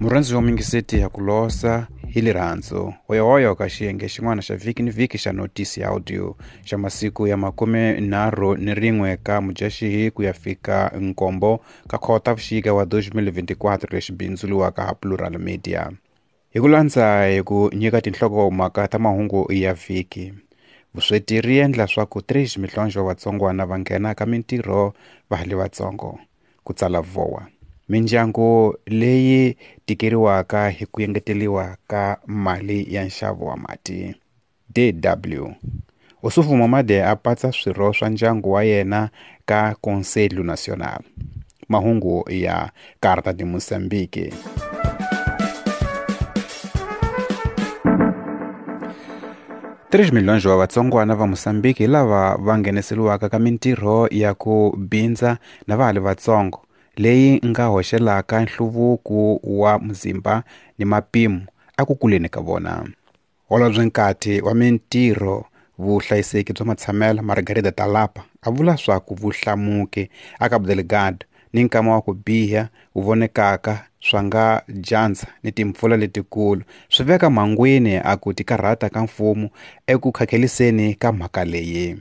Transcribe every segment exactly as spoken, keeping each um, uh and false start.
Murhandzi wa mingiseti ya ku losa hi lirhandzu hoyohoyo ka xiyenge xin'wana xa vhiki ni vhiki xa notisi ya audio xa masiku ya makume nharhu ni rin'we ka Mudyaxihi ku ya fika nkombo ka Khotavuxika wa twenty twenty-four lexi bindzuriwaka ha Plural Media. Hi ku landza hi ku nyika tinhlokomhaka ta mahungu ya vhiki. Vusweti ri endla swa ku três milhões wa vatsongwana va nghena ka mintirho va ha ri vatsongo, ku tsala Voa. Mindyangu leyi tikeriwaka hi ku engeteriwa ka mali ya nxavo wa mati. D W Ossufo Momade a patsa swirho swa ndyangu wa yena ka Conselho Nacional. Mahungu ya Carta de Moçambique. três milhões wa vatsongwana va Moçambique lava va ngheniseriwaka ka mintirho ya ku bindza na va ha ri vatsongo leyi nga hoxelaka nhluvuko wa muzimba ni mapimo a ku kuleni ka vona. Holobye Nkati wa mintirho vuhlayiseki bya matshamelo Margarida Talapa a vula swa ku vuhlamuki a Cabo Delgado ni nkama wa ku biha wu vonekaka swa nga dyandza ni timpfula letikulu swi veka mhangwini a ku tikarhata ka mfumo eku khakheliseni ka mhaka leyi.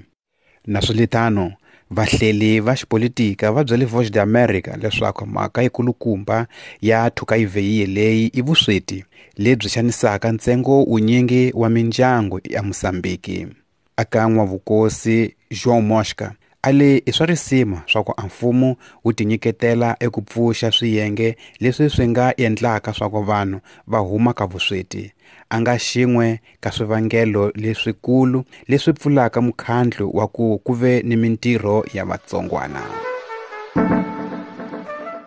Naswilitano vahleli va xipolitika va byele Voz de América leswaku mhaka yikulukumba ya thukayivheyiye leyi i vusweti lebyi xanisaka ntsengo wunyingi wa mindyangu ya Mozambique. Aka n'wavukosi João Mosca a le i swa risima swa ku a mfumo wu tinyiketela eku pfuxa swiyenge leswi swi nga endlaka swa ku vanhu va huma ka vusweti a nga xin'we ka swivangelo leswikulu leswi pfulaka mukhandlu wa ku ku ve ni mintirho ya vatsongwana.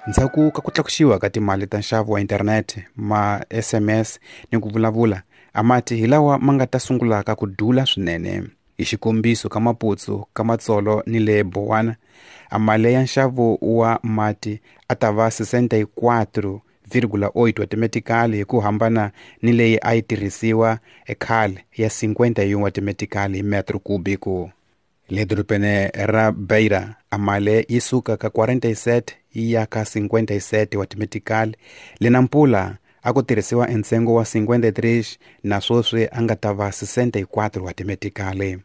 Ndzhaku ka ku tlakusiwa ka timali ta nxavo wa inthanete, ma S M S ni ku vulavula, a mati hi lawa ma nga ta sungulaka ku dula swinene. Hi xikombiso ka Maputo, ka Matsolo ni le Bowana, a mali ya nxavo wa mati a ta va sessenta e quatro vírgula oito wa timetikali hi ku hambana ni leyi a yi tirhisiwa ekhale ya cinquenta e um wa timetikali hi metro cúbico. Le dorobeni ra Beira, a mali yi suka ka quarenta e sete yi ya ka cinquenta e sete wa timetikali. Le Nampula a ku tirhisiwa ntsengo wa cinquenta e três na sweswi a nga ta va sessenta e quatro wa timetikali.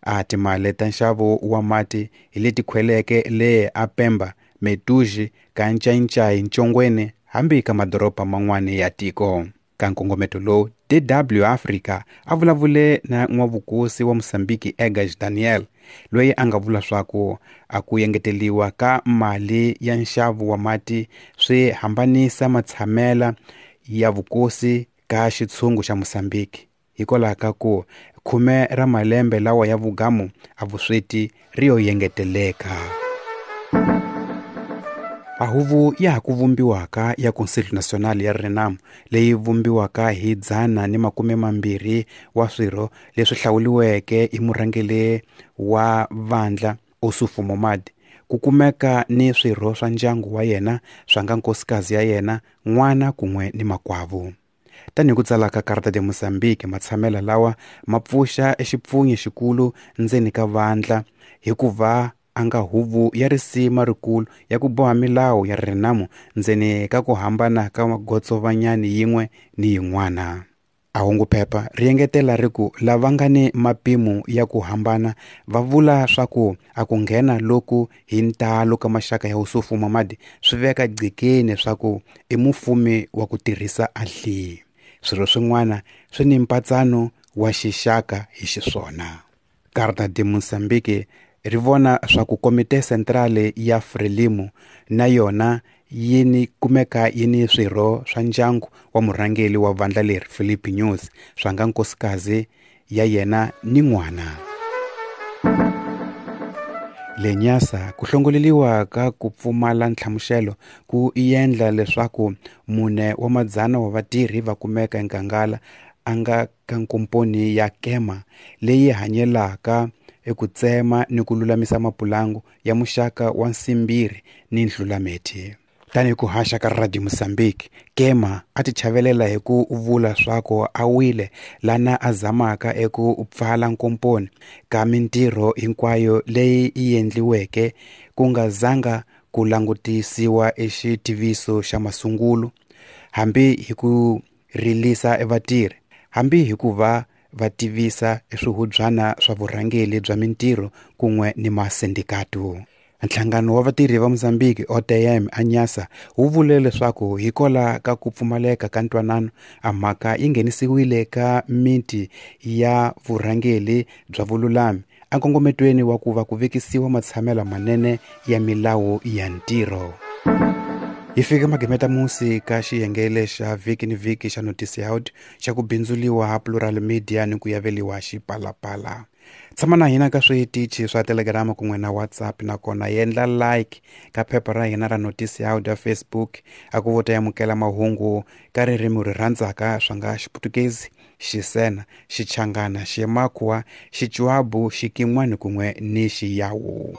A timali ta nxavo wa mati hi leti khweleke le a Pemba, Metuji, ka Ncayincai, Ntshongweni hambi ka madoroba man'wani ya tiko. Ka nkongometo lowu, D W Africa a vulavule na n'wavukosi wa Mozambique Egas Daniel, loyi a nga vula swa ku a ku engeteriwa ka mali ya nxavo wa mati swi hambanisa matshamela ya vukosi ka xitshungu xa Mozambique hikwalaho ka ku khume ra malembe lawa ya vugamu a vusweti ri yo engeteleka. A huvo ya ha ku vumbiwaka ya Conselho Nacional ya Renamo leyi vumbiwaka hi dzana ni makume mambirhi wa swirho leswi hlawuriweke hi murhangeri wa vandla Ossufo Momade ku kumeka ni swirho swa ndyangu wa yena swa nga nkosikazi ya yena, n'wana kun'we ni makwavo. Tanihi ku tsala ka Carta de Moçambique, matshamela lawa ma pfuxa exipfunyi xikulu ndzeni ka vandla hikuva a nga huvo ya risima rikulu ya ku boha milawu ya Renamo ndzeni ka ku hambana ka magotsovanyani yin'we ni yin'wana. A hungu phepha ri engetela ri ku lava nga ni mapimo ya ku hambana va vula swa ku a ku nghena loku hi ntalo ka maxaka ya Ossufo Momade swi veka gqikeni swa ku i mufumi wa ku tirhisa ahli. Swirho swin'wana swi ni mpatsano wa xixaka hi xiswona. Carta de Moçambique ri vona swa ku Komite Centrale ya Frelimo na yona yi ni kumeka yi ni swirho swa ndyangu wa murhangeri wa vandla leri Filipe Nyusi swa nga nkosikazi ya yena ni n'wana. Le Nyasa ku hlongoleriwa ka ku pfumala nhlamuselo ku endla leswaku mune wa madzana wa vatirhi va kumeka enkangala a nga ka nkomponi ya Kema leyi hanyelaka eku tsema ni ku lulamisa mapulangu ya muxaka wa nsimbiri ni nhlulameti. Tanihi ku haxa ka Radio Mozambique, Kema a ti chavelela hi ku vula swa ku a wile lana a zamaka eku pfala nkomponi ka mintirho hinkwayo leyi yi endliweke ku nga zanga ku langutisiwa exitiviso xa masungulo hambi hi ku rilisa evatirhi, hambi hi ku va va tivisa eswihubyana swa vurhangeli bya mintirho kun'we ni masindikato. Nhlangano wa vatirhi va Mozambique O T M Anyasa wu vule leswaku hikola ka ku pfumaleka ka ntwanano a mhaka yi nghenisiwile ka miti ya vurhangeli bya vululami enkongometweni wa ku va ku vekisiwa matshamelo manene ya milawu ya ntirho. Hi fika magimeta musi ka xiyengele xa vhiki ni vhiki xa Noticiado xa ku bindzuliwa ha Plural Media ni ku yaveliwa Xipalapala. Tshama na hina ka switichi swa Telegram kun'we na WhatsApp, nakona yendla like ka phepha ra hina ra Noticiado ya Facebook a ku vota yamukela mahungu ka ririmi ri rhandzaka swa nga Xiputukezi, Xisena, Xichangana, Ximakwa, Xichuabu, Xikin'wani kun'we ni Xiyawu.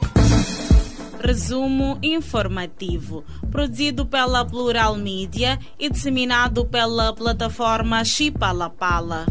Resumo informativo, produzido pela Plural Media e disseminado pela plataforma Xipalapala.